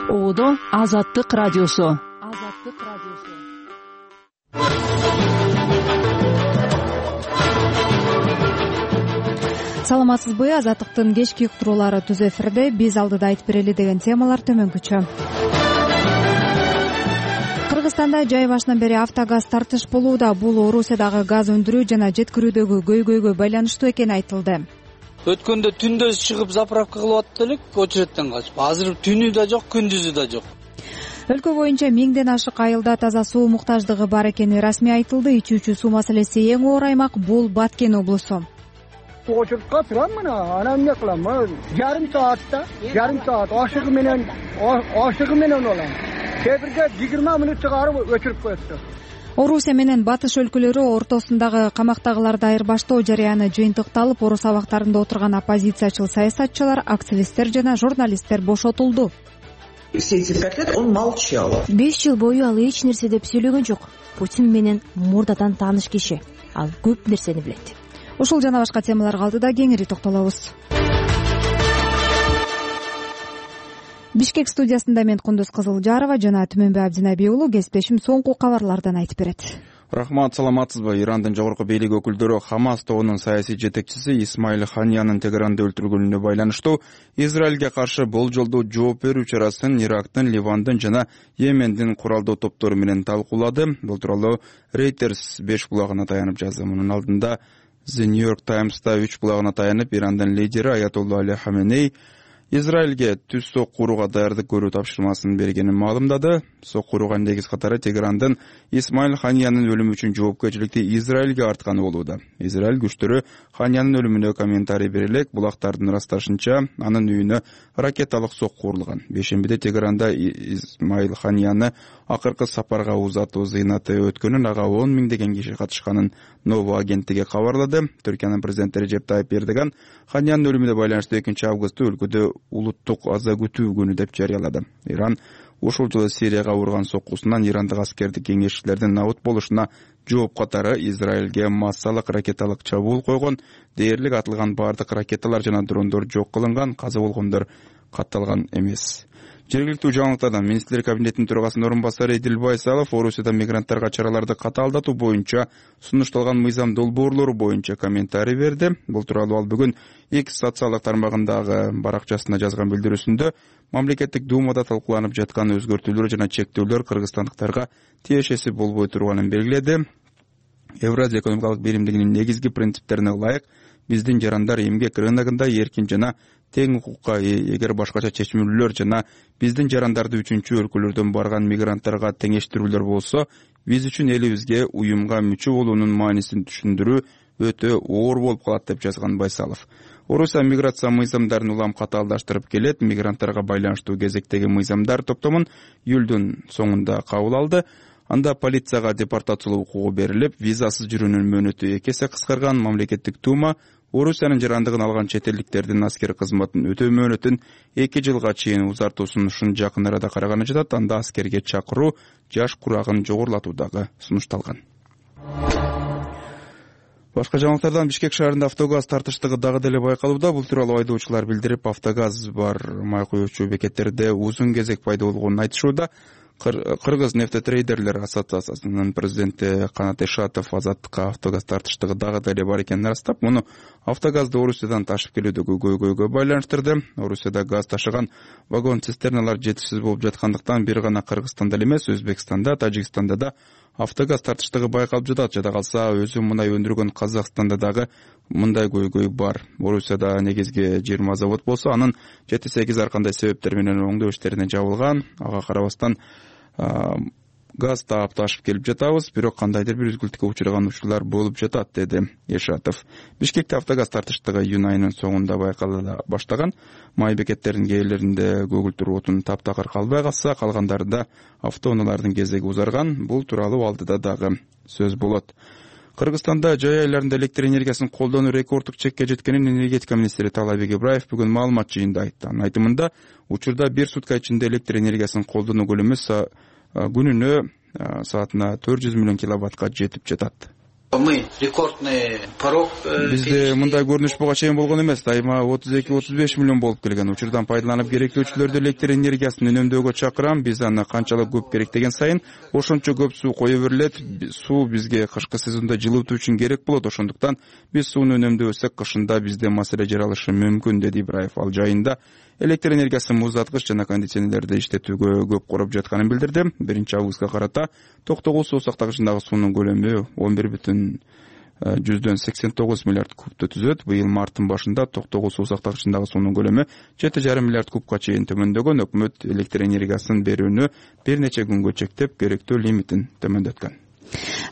Оодо Азаттык радиосу. Саламатсызбы? Азаттыктын кечки уктуруулары түз эфирде. Биз алдыда айтып берели деген темалар төмөнкүчө. Кыргызстанда жай башынан бери автогаз тартыш болууда. Бул Орусиядагы газ өндүрүү жана жеткирүүдөгү көйгөйгө байланыштуу экени айтылды. Өткөндө түндө чыгып заправка кылып аттык элек, очередден качып. Азыр түнү да жок, күндүзү да жок. Өлкө боюнча 1000ден ашык айылда таза суу муктаждыгы бар экени расмий айтылды. Ичүүчү суу маселеси эң оор аймак бул Баткен облусу. Очередке турам мына, анан эмне кылам? Жарым саат ашыгы менен олам. Кээ-бирде 20 мүнөт чыгарып өчүрүп коет. Орусия менен батыш өлкөлөрү ортосундагы камактагыларды айырбаштоо жарыяны жыйынтыкталып, орус абактарында отурган оппозициячыл саясатчылар, активисттер жана журналисттер бошотулду. Все эти 5 лет он молчал. 5 жыл бою ал эч нерсе деп сүйлөгөн жок. Путин менен мурдадан тааныш киши. Ал көп нерсени билет. Ушул жана башка темаларга алдыда кеңири токтолобуз. Бишкек студиясында мен Кундуз Кызылжарова жана Түмөнбай Абдинабий уулу. Кесиптешим соңку кабарлардан айтып берет. Рахмат, саламатсызбы? Ирандын жогорку бийлик өкүлдөрү Хамас тобунун саясий жетекчиси Исмаил Ханиянын Тегеранда өлтүрүлгөнүнө байланыштуу Израилге каршы болжолдуу жооп берүү чарасын Ирактын, Ливандын жана Йемендин куралдуу топтору менен талкуулады. Бул тууралуу Reuters 5 булагына таянып жазды. Мунун алдында The New York Times'та 3 булагына таянып Ирандын лидери Аятолла Али Хаменей Израилге түз сок курууга даярдык көрүү тапшырмасын бергенин маалымдады. Сок курууга негиз катары Тегерандын Исмаил Ханиянын өлүмү үчүн жоопкерчиликти Израилге артканы болууда. Израиль күчтөрү Ханиянын өлүмүнө комментарий бере элек, булактардын ырасташынча анын үйүнө ракеталык сок курулган. Бешембиде Тегеранда Исмаил Ханияны акыркы сапарга узатуу зыйнаты өткөнүн, ага 10 миңдеген киши катышканын Ново агенттиги кабарлады. Түркиянын президенти Режеп Тайып Эрдоган Ханиянын өлүмүнө байланыштуу 2-августта өлкөдө улуттук аза күтүү күнү деп жарыялады. Иран ушул жылы Сирияга урган соккусунан ирандык аскердик кеңешчилердин набыт болушуна жооп катары Израилге массалык ракеталык чабуул койгон. Дээрлик атылган бардык ракеталар жана дрондор жок кылынган, каза болгондор катталган эмес. Жергиликтүү жаңылыктардан министрлер кабинетинин төрагасынын орун басары Эдил Байсалов Орусияда мигранттарга чараларды катаалдатуу боюнча сунушталган мыйзам долбоорлору боюнча комментарий берди. Бул тууралуу ал бүгүн X социалдык тармагындагы баракчасына жазган билдирүүсүндө мамлекеттик думада талкууланып жаткан өзгөртүүлөр жана чектөөлөр кыргызстандыктарга тиешеси болбой турганын белгиледи. Евразия экономикалык биримдигинин негизги принциптерине ылайык биздин жарандар эмгек рыногунда эркин жана тең укукка ээ. Эгер башкача чечмелүүлөр жана биздин жарандарды үчүнчү өлкөлөрдөн барган мигранттарга теңештирүүлөр болсо, биз үчүн элибизге уюмга мүчө болуунун маанисин түшүндүрүү өтө оор болуп калат деп жазган Байсалов. Орусия миграция мыйзамдарын улам катаалдаштырып келет. Мигранттарга байланыштуу кезектеги мыйзамдар топтомун июлдун соңунда кабыл алды. Анда полицияга депортациялоо укугу берилип, визасыз жүрүүнүн мөөнөтү 2 эсе кыскарган. Мамлекеттик дума Орусиянын жарандыгын алган чет элдиктердин аскер кызматын өтөө мөөнөтүн 2 жылга чейин узартуусун жакын арада караганы жатат. Анда аскерге чакыруу жаш курагын жогорулатуу дагы сунушталган. Башка жаңылыктардан Бишкек шаарында автогаз тартыштыгы дагы деле байкалууда. Бул тууралуу айдоочулар билдирип, автогаз бар май куюучу бекеттерде узун кезек пайда болгонун айтышууда. Кыргыз нефтетрейдерлер ассоциациясынын президенти Канат Эшатов Азаттыкка автогаз тартыштыгы дагы деле бар экенин ырастап, муну автогазды Орусиядан ташып келүүдөгү көйгөйгө байланыштырды. Орусияда газ ташыган вагон-цистерналар жетишсиз болуп жаткандыктан бир гана Кыргызстанда эле эмес, Өзбекстанда, Тажикстанда да автогаз тартыштыгы байкалып жатат. Жада калса, өзү мунай өндүргөн Казакстанда дагы мындай көйгөй бар. Орусияда негизги 20 завод болсо, анын 7-8 ар кандай себептер менен оңдоо иштерине жабылган. Ага карабастан газ таап ташып келип жатабыз, бирок кандайдыр бир үзгүлтүккө учураган учурлар болуп жатат, деди Эшатов. Бишкекте автогаз тартыштыгы июнь айынын соңунда байкала баштаган. Май бекеттеринин кээрлеринде көгүлтүр отун таптакыр калбай калса, калгандарында автоунаалардын кезеги узарган. Бул тууралуу алдыда дагы сөз болот. Кыргызстанда жай айларында электр энергиясын колдонуу рекорддук чекке жеткенин энергетика министри Таалайбек Ибраев бүгүн маалымат жыйынында айтты. Анын айтымында, учурда 1 сутка ичинде электр энергиясын колдонуу көлөмү күнүнө саатына 400 миллион киловаттка жетип жатат. Мы рекордный порог. Бизде мындай көрүнүш буга чейин болгон эмес. Дайыма 32-35 миллион болуп келген. Учурдан пайдаланып керектөөчүлөрдү электр энергиясын үнөмдөөгө чакырам. Биз аны канчалык көп керек деген сайын ошончо көп суу кое берилет. Суу бизге кышкы сезондо жылытуу үчүн керек болот. Ошондуктан биз сууну үнөмдөбөсөк кышында бизде маселе жаралышы мүмкүн, деди Ибраев. Ал жайында электр энергиясын муздаткыч жана кондиционерлерди иштетүүгө көп короп жатканын билдирди. 1-августка карата Токтогул суу сактагычындагы суунун көлөмү 11,89 миллиард кубту түзөт. Быйыл марттын башында Токтогул суу сактагычындагы суунун көлөмү 7,5 миллиард кубка чейин төмөндөгөн. Өкмөт электр энергиясын берүүнү бир нече күнгө чектеп, керектүү лимитин төмөндөткөн.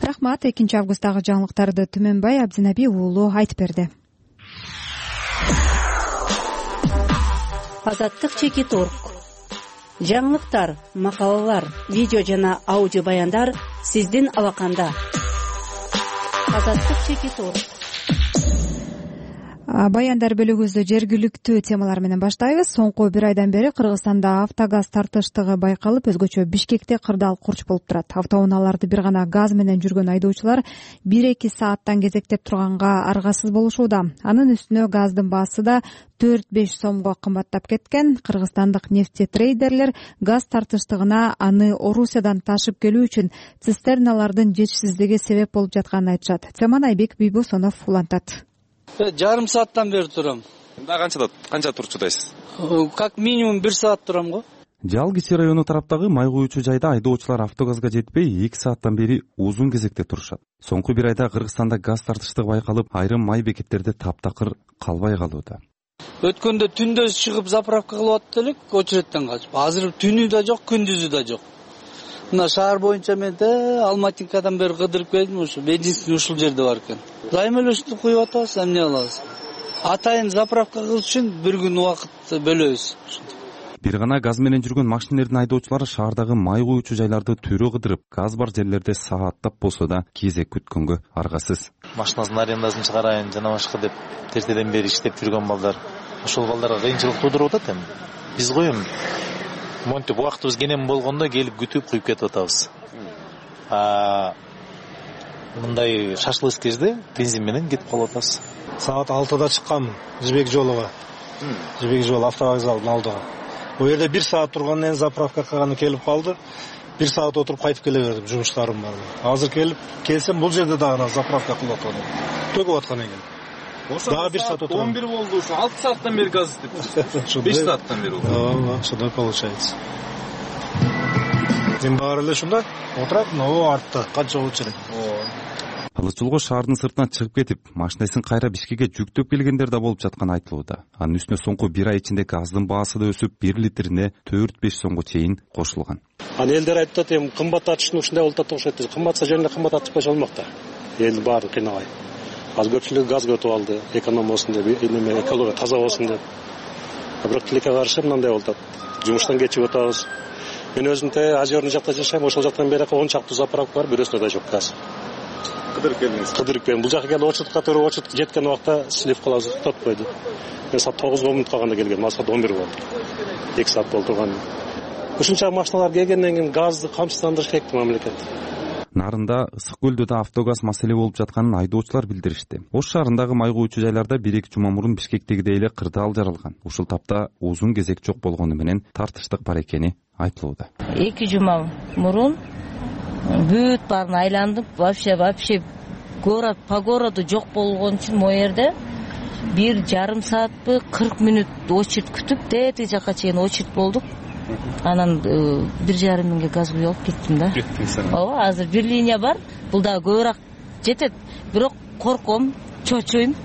Рахмат. 2-августтагы жаңылыктарды Түмөнбай Абдинаби уулу айтып берди. Азаттык Чекит.org. Жаңылыктар, макалалар, видео жана аудио баяндар сиздин алаканда. Азаттык Чекит.org. Баяндар бөлүгүбүздү жергиликтүү темалар менен баштайбыз. Соңку бир айдан бери Кыргызстанда автогаз тартыштыгы байкалып, өзгөчө Бишкекте кырдаал курч болуп турат. Автоунааларды бир гана газ менен жүргөн айдоочулар 1-2 сааттан кезектеп турганга аргасыз болушууда. Анын үстүнө газдын баасы да 4-5 сомго кымбаттап кеткен. Кыргызстандык нефтетрейдерлер газ тартыштыгына аны Орусиядан ташып келүү үчүн цистерналардын жетишсиздиги себеп болуп жатканын айтышат. Теманы Айбек Бийбосонов улантат. Жарым сааттан бери турам. Канча турчудайсыз? Как минимум 1 саат турам го. Жал Кичи району тараптагы май куючу жайда айдоочулар автогазга жетпей 2 сааттан бери uzun кезекте турушат. Соңку бир айда Кыргызстанда газ тартыштыгы байкалып, айрым май бекеттерде таптакыр калбай калууда. Өткөндө түндө чыгып заправка кылып аттык элек, очередтен качып. Азыр түнү да жок, күндүзү да жок. Мына шаар боюнча мен Алматинкадан бери кыдырып келдим, ушу бензин ушул жерде бар экен. Займа эле куюп атабыз, эмне кылабыз? Атайын заправка кылыш үчүн бир күн убакыт бөлөбүз. Бир гана газ менен жүргөн машинелердин айдоочулары шаардагы май куючу жайларды төрө кыдырып, газ бар жерлерде сааттап болсо да кезек күткөнгө аргасыз. Машинасын арендасын чыгарайын жана башка деп тертеден бери иштеп жүргөн балдар, ошол балдарга кыйынчылык туудуруп атат эми. Биз го эми монтип убактыбыз кенен болгондо келип күтүп куюп кетип атабыз. Мындай шашлык кезде бензин менен кетип калып атабыз. Саат 6-да чыккам Жибек жолуга. Жибек жол автовокзалдын алдыга. Бул жерде 1 саат тургандан заправка кылганы келип калды. 1 саат отуруп кайтып келе бердим, жумуштарым бар. Азыр келсем бул жерде дагы заправка кылып атат. Төгүп аткан экен. Дагы 1 саат отурам. 11 болду ушу. 6 сааттан бери газ иштеп. 5 сааттан бери болду. Ошондой получается. Мен баары эле ушунда отурат, но артта канча очередь. Алыс шаардын сыртына чыгып кетип, машинасын кайра Бишкекке жүктөп келгендер да болуп жатканы айтылууда. Анын үстүнө соңку бир ай ичинде газдын баасы да өсүп, 1 литрине 4-5 сомго чейин кошулган. Аны элдер айтат, эми кымбаттатышын ушундай болуп атат окшойт. Кымбатса жеринде кымбаттатып койсо болмок да. Элди баары кыйнабай. Азыр көпчүлүк газга өтүп алды, эконом болсун деп, экология таза болсун деп. Бирок тилекке каршы мындай болуп атат. Жумуштан кечип өтөбүз. Мен өзүм Азерный жакта жашайм, ошол жактан бери 10 чакты заправка бар, бирөөсүндө да жок газ. Кыдырып келдиңиз? Кыдырып келдим. Бул жака келип очередке туруп, очеред жеткен убакта силип калабыз, токтоп койду. Мен саат 9 мүнөт калганда келгем, саат 11 болду. 2 саат болду турган. Ушунча машиналар келгенден кийин газды камсыздандырыш керек мамлекет. Нарында ысык көлдө да автогаз маселе болуп жатканын айдоочулар билдиришти. Ош шаарындагы май куючу жайларда 1-2 жума мурун Бишкектегидей эле кырдаал жаралган. Ушул тапта uzun кезек жок болгону менен тартыштык бар экени айтылууда. 2 жума мурун бүт баарын айландым. Вообще город по городу жок болгон үчүн могу жерде 1,5 саатпы 40 мүнөт очередь күтүп, тетиги жака чейин очередь болдук. Анан 1,5 миңге газ куюп алып кеттим да. Ооба, азыр бир линия бар. Бул дагы көбүрөөк жетет. Бирок корком, чочуйн.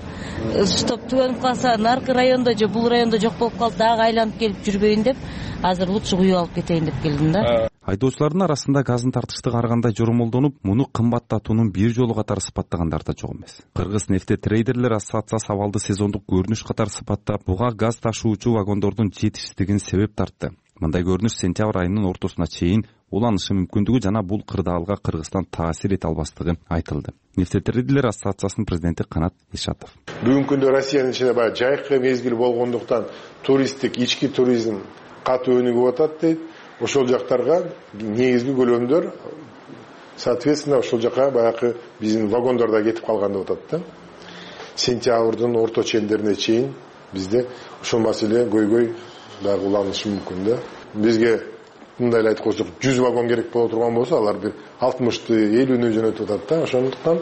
Стоп түгөнүп калса, наркы райондо же бул райондо жок болуп калып, дагы айланып келип жүрбөйүн деп, азыр лучше куюп алып кетейин деп келдим да. Айдоочулардын арасында газдын тартыштыгы ар кандай жормолдонуп, муну кымбаттатуунун бир жолу катары сыпаттагандар да жок эмес. Кыргыз нефтетрейдерлер ассоциациясы абалды сезондук көрүнүш катары сыпаттап, буга газ ташуучу вагондордун жетишсиздигин себеп тартты. Мындай көрүнүш сентябрь айынын ортосуна чейин уланышы мүмкүндүгү жана бул кырдаалга Кыргызстан таасир эте албастыгы айтылды. Нефтетрейдерлер ассоциациясынын президенти Канат Ишатов. Бүгүнкү күндө Россиянын ичинде баягы жайкы мезгил болгондуктан туристтик ички туризм катуу өнүгүп атат дейт. Ошол жактарга негизги көлөмдөр Соответственно, ошол жака баягы биздин вагондар да кетип калган деп атат да. Сентябрдын орто чендерине чейин бизде ошол маселе көйгөй дагы уланышы мүмкүн да. Бизге мындай эле айткан болсок 100 вагон керек боло турган болсо, алар бир 60-ты 50-нү жөнөтүп атат да. Ошондуктан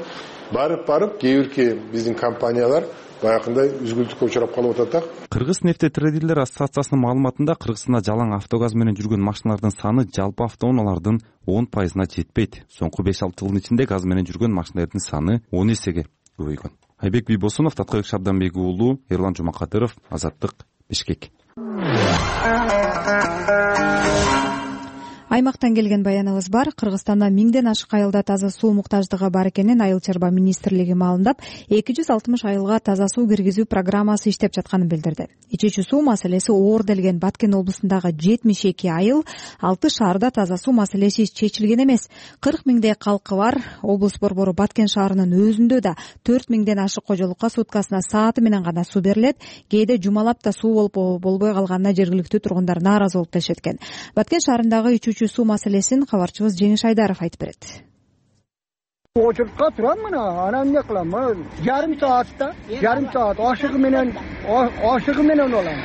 барып кээ бирки биздин компаниялар баягындай үзгүлтүккө учурап калып атат. Кыргыз нефтетрейдерлер ассоциациясынын маалыматында Кыргызстанда жалаң автогаз менен жүргөн машиналардын саны жалпы автоунаалардын 10%-на жетпейт. Соңку 5-6 жылдын ичинде газ менен жүргөн машиналардын саны 10 эсеге көбөйгөн. Айбек Бийбосунов, Таткыбек Шабданбек уулу, Эрлан Жумакадыров, Азаттык, Бишкек. Аймактан келген баяныбыз бар. Кыргызстанда 1000ден ашык айылда таза суу муктаждыгы бар экенин Айыл чарба министрлиги маалымдап, 260 айылга таза суу киргизүү программасы иштеп жатканын билдирди. Ичүүчү суу маселеси оор делген Баткен облусундагы 72 айыл, 6 шаарда таза суу маселеси чечилген эмес. 40 миңдей калкы бар. Облус борбору Баткен шаарынын өзүндө да 4 миңден ашык кожолукка суткасына сааты менен гана суу берилет. Кээде жумалап да суу болбой калганына жергиликтүү тургундар нааразы болуп келишеткен. Баткен шаарындагы ичүүчү суу маселесин кабарчыбыз Жеңиш Айдаров айтып берет. Очуртка турам мына, анан эмне кылам? Жарым саат ашыгы менен олам.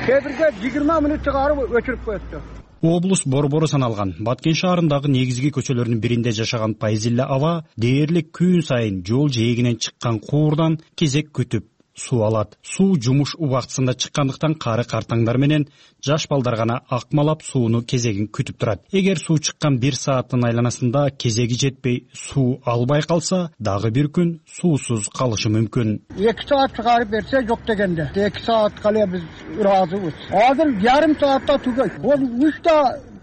Кээ бирде 20 мүнөт чыгарып өчүрүп коёту. Облус борбору саналган Баткен шаарындагы негизги көчөлөрдүн биринде жашаган Пайзилла аба дээрлик күн сайын жол жээгинен чыккан куурдан кезек күтүп суу алат. Суу жумуш убактысында чыккандыктан кары картаңдар менен жаш балдар гана акмалап сууну кезегин күтүп турат. Эгер суу чыккан 1 сааттын айланасында кезеги жетпей суу албай калса, дагы бир күн суусуз калышы мүмкүн. 2 саат чыгарып берсе жок дегенде. 2 саат кале биз ыраазыбыз. Азыр жарым саатта түгөйт. Ол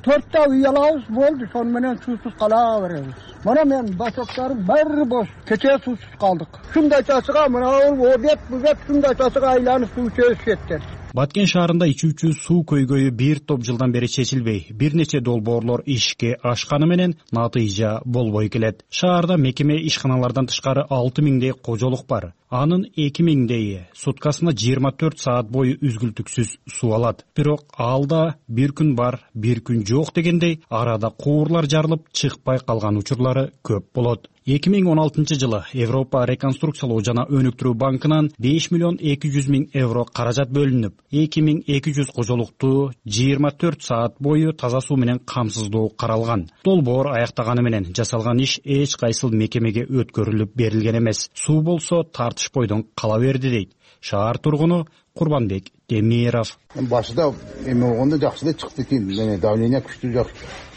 3-4 үй алабыз болду, шону менен суусуз кала беребиз. Мына мен башоктарым баары бош. Кече суусуз калдык. Шундай часыга мына обед бүзөт шундай часыга айланып суу чөчүшөттөр. Баткен шаарында ичүүчү суу көйгөйү бир топ жылдан бери чечилбей, бир нече долбоорлор ишке ашканы менен натыйжа болбой келет. Шаарда мекеме ишканалардан тышкары 6 миңдей кожолук бар. Анын 2 миңдейи суткасына 24 саат бою үзгүлтүксүз суу алат. Бирок алда бир күн бар, бир күн жок дегендей арада куурлар жарылып чыкпай калган учурлары көп болот. 2016-жылы Европа реконструкциялоо жана өнүктүрүү банкынан 5 миллион 200 миң евро каражат бөлүнүп, 2200 кожолукту 24 саат бою таза суу менен камсыздоо каралган. Долбоор аяктаганы менен жасалган иш эч кайсыл мекемеге өткөрүлүп берилген эмес. Суу болсо тартышпойдон кала берди дейт шаар тургуну Курбанбек Демиров. Башында эме болгондо жакшы эле чыкты экен, давление күчтүү жакшы.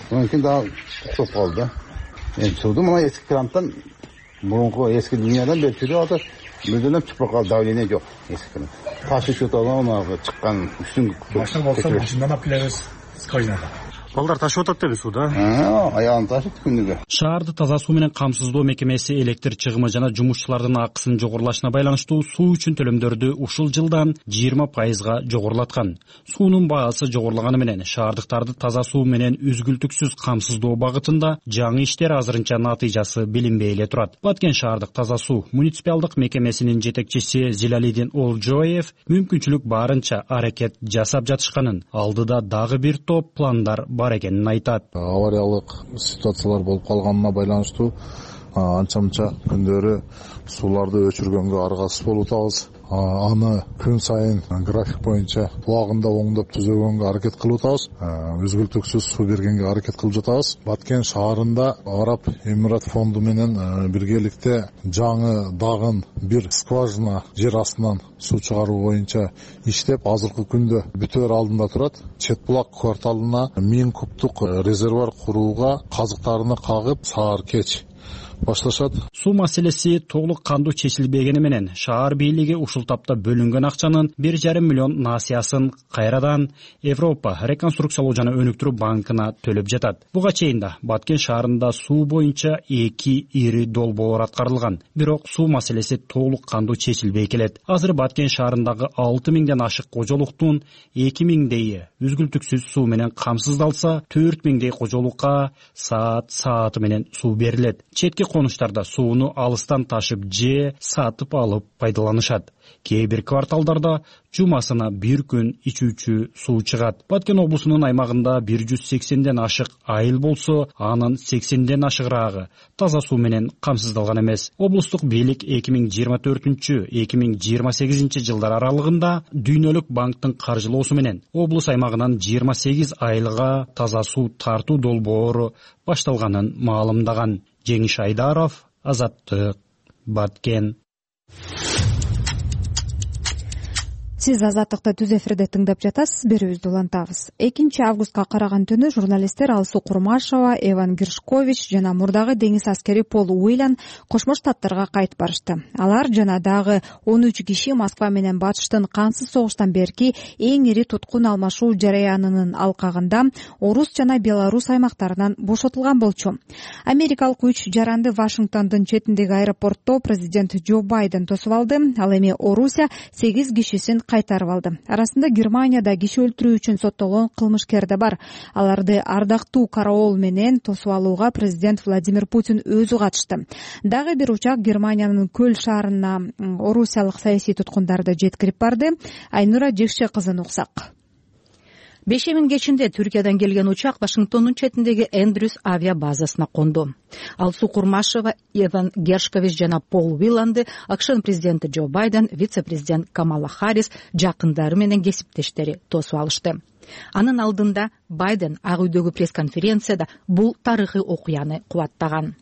Мүмкүн дагы токтоп калды. Суду мына эски крантан, мурунку эски линиядан берип жүрүп атат. Мүлдөн чыкпай калды, давление жок эски кран. Ташы чөтөгөн мына чыккан үстүн машина болсо машинадан апилебиз скважинада. Балдар ташып атат деби сууда? Аягын ташып күнүгө. Шаарды таза суу менен камсыздоо мекемеси электр чыгымы жана жумушчулардын акысынын жогорулашына байланыштуу суу үчүн төлөмдөрдү ушул жылдан 20%га жогорулаткан. Суунун баасы жогорулаганы менен шаардыктарды таза суу менен үзгүлтүксүз камсыздоо багытында жаңы иштер азырынча натыйжасы билинбей эле турат. Баткен шаардык таза суу муниципалдык мекемесинин жетекчиси Зилалидин Олжоев мүмкүнчүлүк барынча аракет жасап жатышканын, алдыда дагы бир топ пландар бар экенин айтат. Авариялык ситуациялар болуп калганына байланыштуу анча-мынча күндөрү сууларды өчүргөнгө аргасыз болуп атабыз. Аны күн сайын график боюнча убагында оңдоп түзөгөнгө аракет кылып атабыз. Үзгүлтүксүз суу бергенге аракет кылып жатабыз. Баткен шаарында Араб Эмират фонду менен биргеликте жаңы дагын бир скважина жер астынан суу чыгаруу боюнча иштеп, азыркы күндө бүтөөр алдында турат. Чет булак кварталына 1000 кубтук резервуар курууга казыктарыны кагып, саар кеч башташат. Суу маселеси толук кандуу чечилбегени менен шаар бийлиги ушул тапта бөлүнгөн акчанын 1,5 миллион насыясын кайрадан Европа реконструкциялоо жана өнүктүрүү банкына төлөп жатат. Буга чейин да Баткен шаарында суу боюнча 2 ири долбоор аткарылган, бирок суу маселеси толук кандуу чечилбей келет. Азыр Баткен шаарындагы 6 миңден ашык кожолуктун 2 миңдейи үзгүлтүксүз суу менен камсыздалса, 4 миңдей кожолукка сааты менен суу берилет. Четки конуштарда сууну алыстан ташып же сатып алып пайдаланышат. Кээ бир кварталдарда жумасына бир күн ичүүчү суу чыгат. Баткен облусунун аймагында 180ден ашык айыл болсо, анын 80ден ашыгыраагы таза суу менен камсыздалган эмес. Облустук бийлик 2024-2028 жылдар аралыгында Дүйнөлүк банктын каржылоосу менен облус аймагынан 28 айылга таза суу тартуу долбоору башталганын маалымдаган. Жеңиш Айдаров, Азаттык, Баткен. Сиз Азаттыкты түз эфирде тыңдап жатасыз. Берүүбүздү улантабыз. 2 августка караган түнү журналисттер Алсуу Курмашева, Эван Гершкович жана мурдагы деңиз аскери Пол Уиллан Кошмо Штаттарга кайтып барышты. Алар жана дагы 13 киши Москва менен батыштын кансыз согуштан берки эң ири туткун алмашуу жараянынын алкагында Орус жана Беларус аймактарынан бошотулган болчу. Америкалык 3 жаранды Вашингтондун четиндеги аэропортто президент Джо Байден тосуп алды. Ал эми Орусия 8 кишисин кайтарып алды. Арасында Германияда киши өлтүрүү үчүн соттолгон кылмышкер да бар. Аларды ардактуу караол менен тосуп алууга президент Владимир Путин өзү катышты. Дагы бир учак Германиянын Көл шаарына орусиялык саясий туткундарды жеткирип барды. Айнура Жекше кызын уксак. Бешемин кечинде Түркиядан келген учак Вашингтондун четиндеги Эндрюс авиа базасына конду. Алсуу Курмашева, Эван Гершкович жана Пол Уилланды АКШнын президенти Джо Байден, вице-президент Камала Харрис жакындары менен кесиптештери тосуп алышты. Анын алдында Байден Ак үйдөгү пресс-конференцияда бул тарыхый окуяны кубаттаган.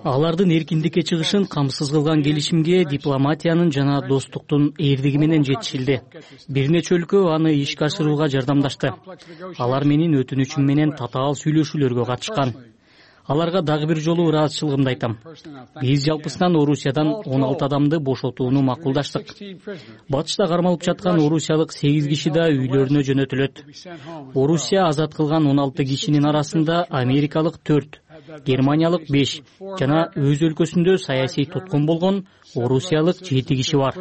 Алардын эркиндикке чыгышын камсыз кылган келишимге дипломатиянын жана достуктун эрдиги менен жетишилди. Бир нече өлкө аны ишке ашырууга жардамдашты. Алар менин өтүнүчүм менен татаал сүйлөшүүлөргө катышкан. Аларга дагы бир жолу ыраазычылыгымды айтам. Биз жалпысынан Орусиядан 16 адамды бошотууну макулдаштык. Батышта кармалып жаткан орусиялык 8 киши да үйлөрүнө жөнөтүлөт. Орусия азат кылган 16 кишинин арасында америкалык 4, германиялык 5 жана өз өлкөсүндө саясий туткун болгон орусиялык 7 киши бар.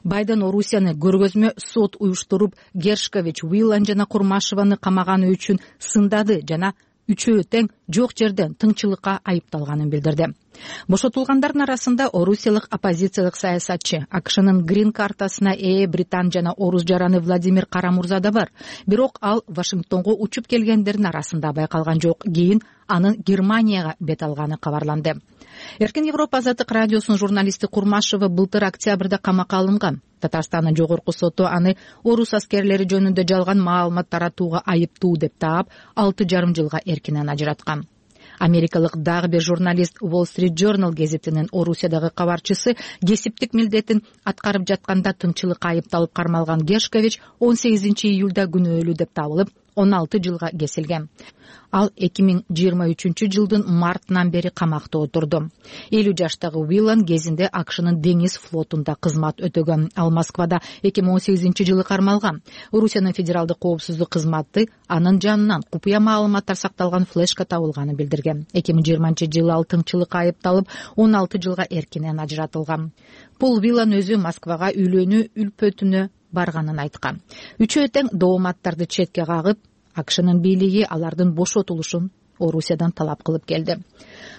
Байден Орусияны көргөзмө сот уюштуруп, Гершкович, Уиллан жана Курмашеваны камаганы үчүн сындады жана үчөө тең жок жерден тыңчылыкка айыпталганын билдирди. Бошотулгандардын арасында орусиялык оппозициялык саясатчы, АКШнын грин картасына ээ британ жана орус жараны Владимир Карамурза да бар. Бирок ал Вашингтонго учуп келгендердин арасында байкалган жок. Кийин анын Германияга бет алганы кабарланды. Эркин Европа Азаттык радиосунун журналисти Курмашева былтыр октябрда камакка алынган. Татарстандын жогорку соту аны орус аскерлери жөнүндө жалган маалымат таратууга айыптуу деп таап 6,5 жылга эркинен ажыраткан. Америкалык дагы бир журналист Wall Street Journal гезитинин Орусиядагы кабарчысы кесиптик милдетин аткарып жатканда тыңчылыкка айыпталып кармалган Гершкович 18 июлда күнөөлүү деп табылып 16 жылга кесилген. Ал 2023 жылдын мартынан бери камакта отурду. 50 жаштагы Уиллан кезинде АКШнын деңиз флотунда кызмат өтөгөн. Ал Москвада 2018 жылы кармалган. Орусиянын федералдык коопсуздук кызматы анын жанынан купуя маалыматтар сакталган флешка табылганын билдирген. 2020 жылы ал тыңчылыкка айыпталып 16 жылга эркинен ажыратылган. Пол Уиллан өзү Москвага үйлөнүү үлпөтүнө барганын айткан. Үчөө тең дооматтарды четке кагып, АКШнын бийлиги алардын бошотулушун Орусиядан талап кылып келди.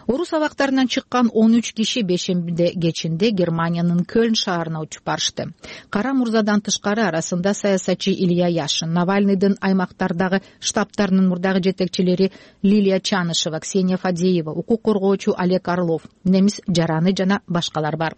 Орус абактарынан чыккан 13 киши бешембиде кечинде Германиянын Көлн шаарына учуп барышты. Кара мурзадан тышкары арасында саясатчы Илья Яшин, Навальныйдын аймактардагы штабтарынын мурдагы жетекчилери Лилия Чанышева, Ксения Фадеева, укук коргоочу Олег Орлов, немис жараны жана башкалар бар.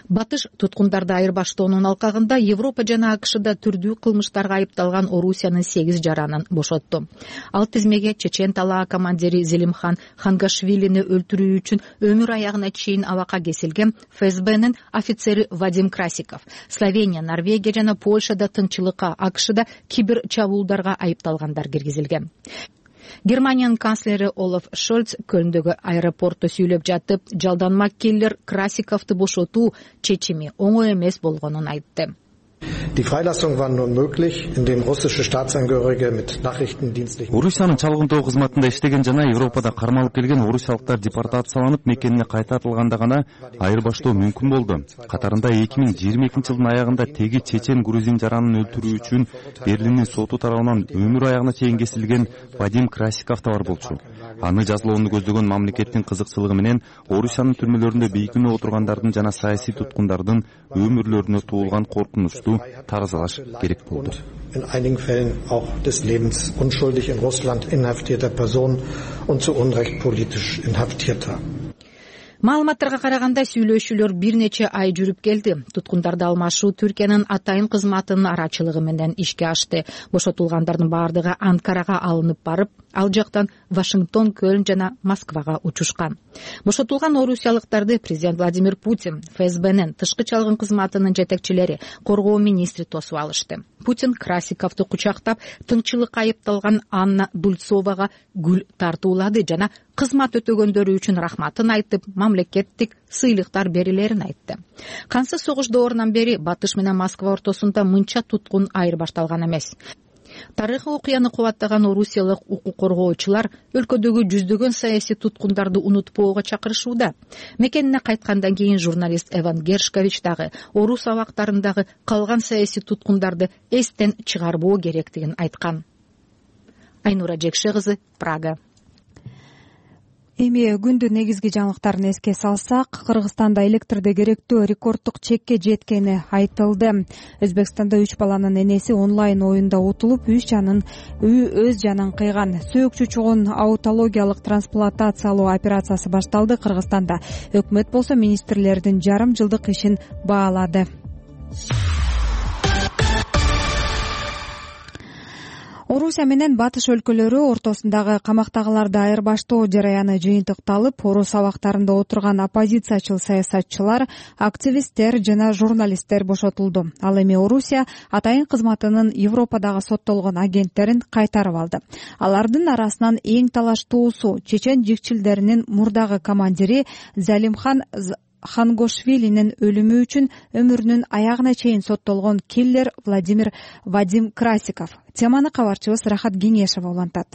Батыш туткундарды айырбаштоонун алкагында Европа жана АКШда түрдүү кылмыштарга айыпталган Орусиянын 8 жаранын бошотту. Ал тизмеге чечен талаа командири Зелимхан Хангашвилини өлтүрүү үчүн өмүр аягына чейин абакка кесилген ФСБнын офицери Вадим Красиков, Словения, Норвегия жана Польшада тыңчылыкка, АКШда кибер чабуулдарга айыпталгандар киргизилген. Германиянын канцлери Олаф Шольц Көлндөгү аэропортто сүйлөп жатып, жалданма киллер Красиковду бошотуу чечими оңой эмес болгонун айтты. Die Freilassung war nur möglich, indem russische Staatsangehörige mit nachrichtendienstlichen Орусиянын чалгындоо кызматында иштеген жана Европада кармалып келген орусиялыктар депортацияланып мекенине кайтартылганда гана айырбаштоо мүмкүн болду. Катарында 2022-жылдын аягында теги чечен грузин жаранын өлтүрүү үчүн Берлиндин соту тарабынан өмүр аягына чейин кесилген Вадим Красиков да бар болчу. Аны жазалоону көздөгөн мамлекеттин кызыкчылыгы менен Орусиянын түрмөлөрүндө бейкүнөө отургандардын жана саясий туткундардын өмүрлөрүнө туулган коркунучту таразалаш керек болду. In einigen Fällen auch des Lebens unschuldig in Russland inhaftierter Personen und zu Unrecht politisch Inhaftierter. Маалыматтарга караганда сүйлөшүүлөр бир нече ай жүрүп келди. Туткундарды алмашуу Түркиянын атайын кызматынын арачылыгы менен ишке ашты. Бошотулгандардын баардыгы Анкарага алынып барып, ал жактан Вашингтон, Көлн жана Москвага учушкан. Бошотулган орусиялыктарды президент Владимир Путин, ФСБнын тышкы чалгын кызматынын жетекчилери, коргоо министри тосуп алышты. Путин Красиковду кучактап, тыңчылыкка айыпталган Анна Дульцовага гүл тартуулады жана кызмат өтөгөндөрү үчүн рахматын айтып, мамлекеттик сыйлыктар берилерин айтты. Кансыз согуш доорунан бери Батыш менен Москва ортосунда мынча туткун айырбашталган эмес. Тарыхый окуяны кубаттаган орусиялык укук коргоочулар өлкөдөгү жүздөгөн саясий туткундарды унутпоого чакырышууда. Мекенине кайткандан кийин журналист Эван Гершкович дагы орус абактарындагы калган саясий туткундарды эстен чыгарбоо керектигин айткан. Айнура Жекше кызы, Прага. Эми күндүн негизги жаңылыктарын эске салсак, Кыргызстанда электрде керектөө рекорддук чекке жеткени айтылды. Өзбекстанда 3 баланын энеси онлайн оюнда утулуп, өз жанын кыйган. Сөөкчү чугун аутологиялык трансплантациялоо операциясы башталды. Кыргызстанда өкмөт болсо министрлердин жарым жылдык ишин баалады. Орусия менен Батыш өлкөлөрү ортосундагы камактагыларды айырбаштоо жараяны жыйынтыкталып, орус абактарында отурган оппозициячыл саясатчылар, активисттер жана журналисттер бошотулду. Ал эми Орусия атайын кызматынын Европадагы соттолгон агенттерин кайтарып алды. Алардын арасынан эң талаштуусу чечен жикчилдеринин мурдагы командири Залимхан Хангошвилинин өлүмү үчүн өмүрүнүн аягына чейин соттолгон киллер Вадим Красиков. Теманы кабарчыбыз Рахат Кеңешева улантат.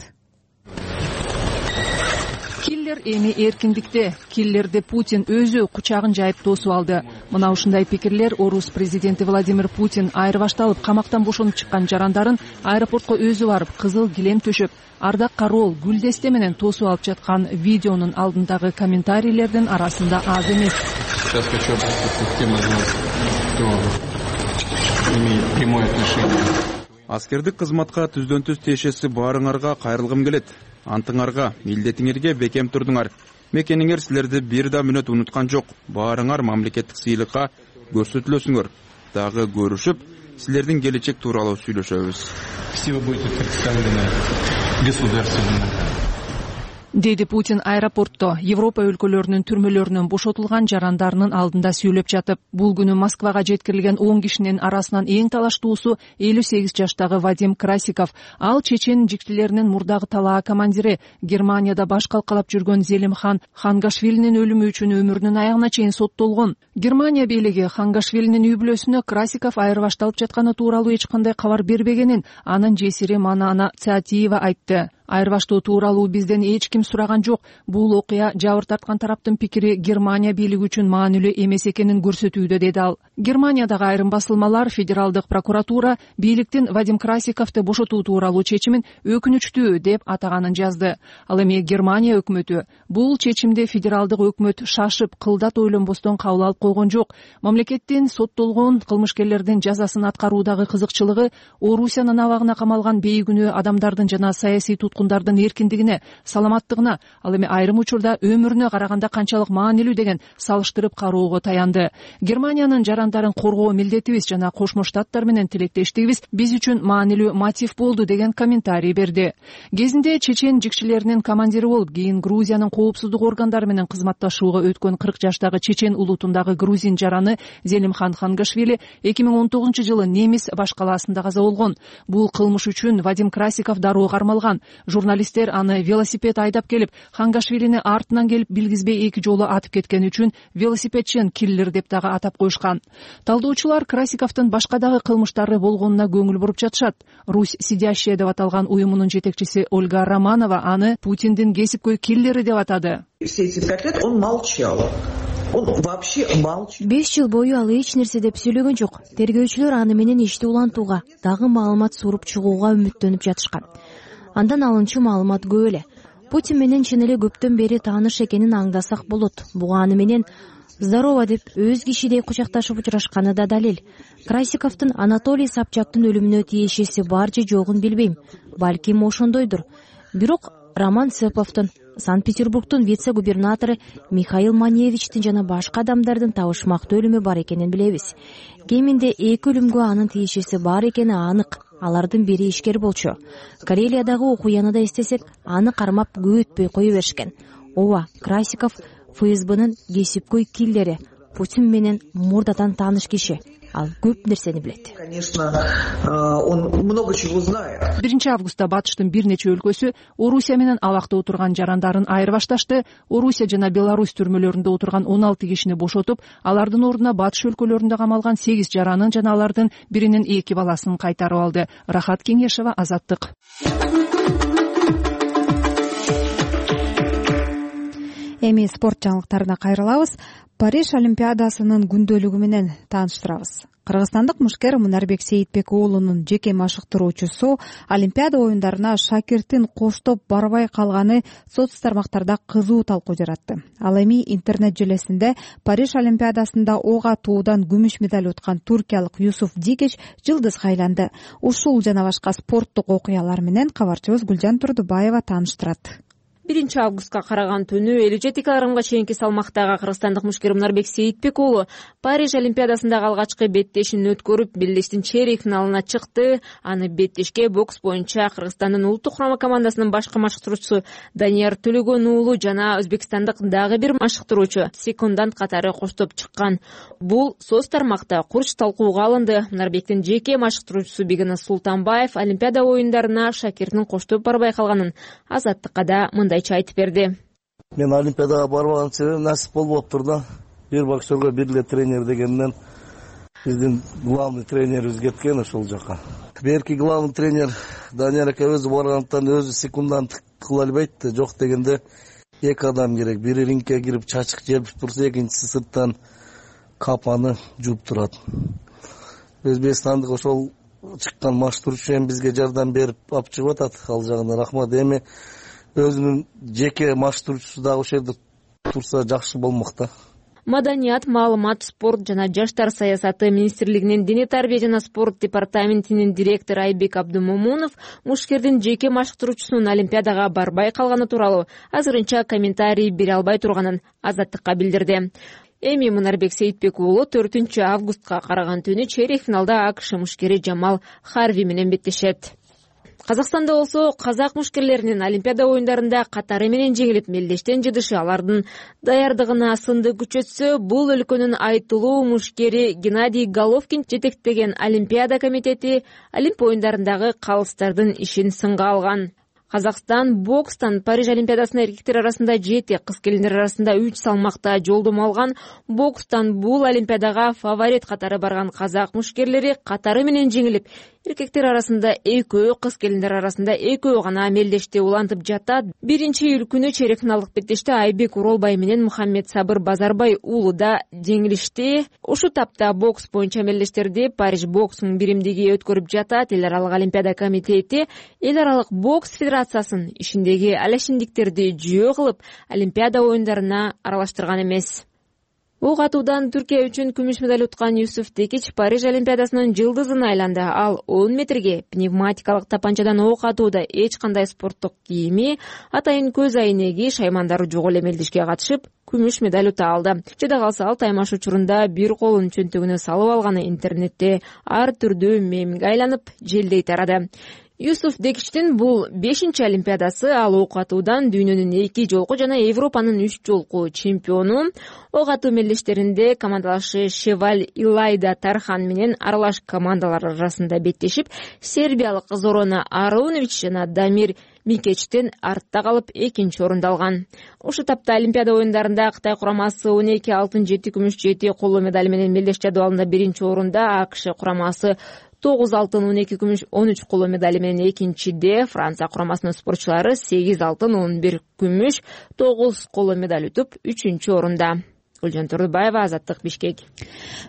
Киллер эми эркиндикте. Киллерди Путин өзү кучагын жайып тосуп алды. Мына ушундай пикирлер орус президенти Владимир Путин айырбашталып камактан бошонуп чыккан жарандарын аэропортко өзү барып, кызыл килем төшөп, ардак кароол гүлдесте менен тосуп алып жаткан видеонун алдындагы комментарийлердин арасында аз эмес. Сейчас хочу обратиться к тем из вас, кто имеет прямое отношение. Аскердик кызматка түздөн түз тиешеси баарыңарга кайрылгым келет. Антыңарга, милдетиңерге бекем турдуңар. Мекениңер силерди бир да мүнөт унуткан жок. Баарыңар мамлекеттик сыйлыкка көрсөтүлөсүңөр. Дагы көрүшүп, силердин келечек тууралуу сүйлөшөбүз. Все вы будете представлены государственно. Деди Путин аэропортто Европа өлкөлөрүнүн түрмөлөрүнөн бошотулган жарандарынын алдында сүйлөп жатып, бул күнү Москвага жеткирилген 10 кишинин арасынан эң талаштуусу 58 жаштагы Вадим Красиков. Ал чечен жикчилеринин мурдагы талаа командири, Германияда баш калкалап жүргөн Залимхан Хангашвилинин өлүмү үчүн өмүрүнүн аягына чейин соттолгон. Германия бийлиги Хангашвилинин үй бүлөсүнө Красиков айырбашталып жатканы тууралуу эч кандай кабар бербегенин анын жесири Манана Цаатиева айтты. Айырбаштоо тууралуу бизден эч ким сураган жок. Бул окуя жабыр тарткан тараптын пикири Германия бийлиги үчүн маанилүү эмес экенин көрсөтүүдө, деди ал. Германиядагы айрым басылмалар федералдык прокуратура бийликтин Вадим Красиковду бошотуу тууралуу чечимин өкүнүчтүү деп атаганын жазды. Ал эми Германия өкмөтү бул чечимди федералдык өкмөт шашып, кылдат ойлонбостон кабыл алып койгон жок. Мамлекеттин соттолгон кылмышкерлердин жазасын аткаруудагы кызыкчылыгы Орусиянын абагына камалган бейкүнөө адамдардын жана саясий туткундардын эркиндигине, саламаттыгына, ал эми айрым учурда өмүрүнө караганда канчалык маанилүү деген салыштырып кароого таянды. Германиянын жарандарын коргоо милдетибиз жана Кошмо Штаттар менен тилектештигибиз биз үчүн маанилүү мотив болду деген комментарий берди. Кезинде чечен жикчилеринин командири болуп, кийин Грузиянын коопсуздук органдары менен кызматташууга өткөн 40 жаштагы чечен улутундагы грузин жараны Залимхан Хангашвили 2019 жылы Немис баш калаасында каза болгон. Бул кылмыш үчүн Вадим Красиков дароо кармалган. Журналисттер аны велосипед айдап келип, Хангашвилини артынан келип билгизбей 2 жолу атып кеткени үчүн велосипедчен киллер деп дагы атап коюшкан. Талдоочулар Красиковдун башка дагы кылмыштары болгонуна көңүл буруп жатышат. Русь сидящая деп аталган уюмунун жетекчиси Ольга Романова аны Путиндин кесипкөй киллери деп атады. Все эти 5 лет он молчал. Он вообще молчал. 5 жыл бою ал эч нерсе деп сүйлөгөн жок. Тергөөчүлөр аны менен ишти улантууга, дагы маалымат суруп чыгууга үмүттөнүп жатышкан. Андан алынчу маалымат көп эле. Путин менен чын эле көптөн бери тааныш экенин аңдасак болот. Буга аны менен здорово деп өз кишидей кучакташып учурашканы да далил. Красиковдун Анатолий Собчактын өлүмүнө тиешеси бар же жогун билбейм. Балким ошондойдур. Бирок Роман Цеповдун, Санкт-Петербургдун вице-губернатору Михаил Маневичтин жана башка адамдардын табышмактуу өлүмү бар экенин билебиз. Кеминде 2 өлүмгө анын тиешеси бар экени анык. Алардын бири ишкер болчу. Карелиядагы окуяны да эстесек, аны кармап көп өтпөй кое беришкен. Ооба, Красиков ФСБнын кесипкөй киллери, Путин менен мурдатан тааныш киши. Ал көп нерсени билет. Конечно, он много чего знает. 1 августта Батыштын бир нече өлкөсү Орусия менен абакта отурган жарандарын айырып башташты. Орусия жана Беларусь түрмөлөрүндө отурган 16 кишини бошотуп, алардын ордуна Батыш өлкөлөрүндө камалган 8 жаранын жана алардын биринин 2 баласын кайтарып алды. Рахат Кеңешева, Азаттык. Эми спорт жаңылыктарына кайрылабыз. Париж Олимпиадасынын күндөлүгү менен тааныштырабыз. Кыргызстандык мушкер Мунарбек Сейитбек уулунун жеке машыктыруучусу Олимпиада оюндарына шакиртин коштоп барбай калганы соц тармактарда кызуу талкуу жаратты. Ал эми интернет желесинде Париж Олимпиадасында ок атуудан күмүш медаль уткан туркиялык Юсуф Дикич жылдызга айланды. Ушул жана башка спорттук окуялар менен кабарчыбыз Гүлжан Турдубаева тааныштырат. 1 августка караган түнү 57 кг чейинки салмактагы кыргызстандык мушкер Мунарбек Сейитбек уулу Париж Олимпиадасындагы алгачкы беттешин өткөрүп, белдештин чейрек финалына чыкты. Аны беттешке бокс боюнча Кыргызстандын улуттук курама командасынын башкы машыктыруучусу Данияр Төлөгөн уулу жана өзбекстандык дагы бир машыктыруучу секундант катары коштоп чыккан. Бул соц тармакта курч талкууга алынды. Мунарбектин жеке машыктыруучусу Бегенас Султанбаев Олимпиада оюндарына шакиртин коштоп барбай калганын Азаттыкка да мындайча айтып берди. Мен Олимпиадага барбаган себебим насип болбоптур да. Бир боксерге бир эле тренер дегенден биздин главный тренерибиз кеткен ошол жака. Берки главный тренер Данияр ака өзү баргандыктан өзү секундант кыла албайт да. Жок дегенде 2 адам керек. Бири рингке кирип чачык желпип турса, экинчиси сырттан капаны жууп турат. Өзбекстандык ошол чыккан машыктыруучу бизге жардам берип алып чыгып атат. Ал жагына рахмат. Эми өзүнүн жеке машыктыруучусу дагы ошол жерде турса жакшы болмок да. Маданият, маалымат, спорт жана жаштар саясаты министрлигинин дене тарбия жана спорт департаментинин директору Айбек Абдумомунов мушкердин жеке машыктыруучусунун Олимпиадага барбай калганы тууралуу азырынча комментарий бере албай турганын Азаттыкка билдирди. Эми Мунарбек Сейитбек уулу 4 августка караган түнү чейрек финалда АКШ мушкери Жамал Харви менен беттешет. Казакстанда болсо казак мушкерлеринин Олимпиада оюндарында катары менен жеңилип, мелдештен жыдышы алардын даярдыгына сынды күчөтсө, бул өлкөнүн айтылуу мушкери Геннадий Головкин жетектеген Олимпиада комитети Олимп оюндарындагы калыстардын ишин сынга алган. Казакстан бокстан Париж Олимпиадасына эркектер арасында 7, кыз келиндер арасында 3 салмакта жолдомо алган. Бокстан бул Олимпиадага фаворит катары барган казак мушкерлери катары менен жеңилип, эркектер арасында 2, кыз келиндер арасында 2 гана мелдеште улантып жатат. 1-июль күнү чейрек финалдык беттеште Айбек Уролбай менен Мухаммед Сабыр Базарбай уулуда жеңилишти. Ушу тапта бокс боюнча мелдештерди Париж боксунун биримдиги өткөрүп жатат. Эл аралык Олимпиада комитети эл аралык бокс федерациясын ишиндеги алашиндиктерди жөө кылып, Олимпиада оюндарына аралаштырган эмес. Ок атуудан Түркия үчүн күмүш медаль уткан Юсуф Дикич Париж Олимпиадасынын жылдызына айланды. Ал 10 метрге пневматикалык тапанчадан ок атууда эч кандай спорттук кийими, атайын көз айнеги, шаймандары жок эле мелдешке катышып, күмүш медаль ута алды. Жада калса ал таймаш учурунда бир колун чөнтөгүнө салып алганы интернетте ар түрдүү мемге айланып, желдей тарады. Юсуф Дикичтин бул 5-чи Олимпиадасы. Ал ок атуудан дүйнөнүн 2 жолку жана Европанын 3 жолку чемпиону. Ок атуу мелдештеринде командалашы Шеваль Илайда Тархан менен аралаш командалар арасында беттешип, сербиялык Зорона Арунович жана Дамир Микечтен артта калып 2-орунду алган. Ошол этапта Олимпиада оюндарында Кытай курамасы 12 алтын, 7 күмүш, 7 коло медаль менен мелдеш жадыбалында 1-орунда, АКШ курамасы 9 алтын, 12 күмүш, 13 коло медали менен 2-де, Франция курамасынын спортчулары 8 алтын, 11 күмүш, 9 коло медаль утуп 3-орунда. Гүлжан Турдубаева, Азаттык, Бишкек.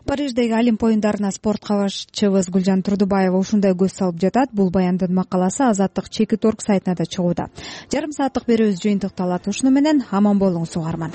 Париждеги Олимп оюндарына спорт кабарчыбыз Гүлжан Турдубаева ушундай көз салып жатат. Бул баяндын макаласы Азаттык Чекит.орг сайтына да чыгууда. Жарым сааттык берүүбүз жыйынтыкталат ушуну менен. Аман болуңуз угарман.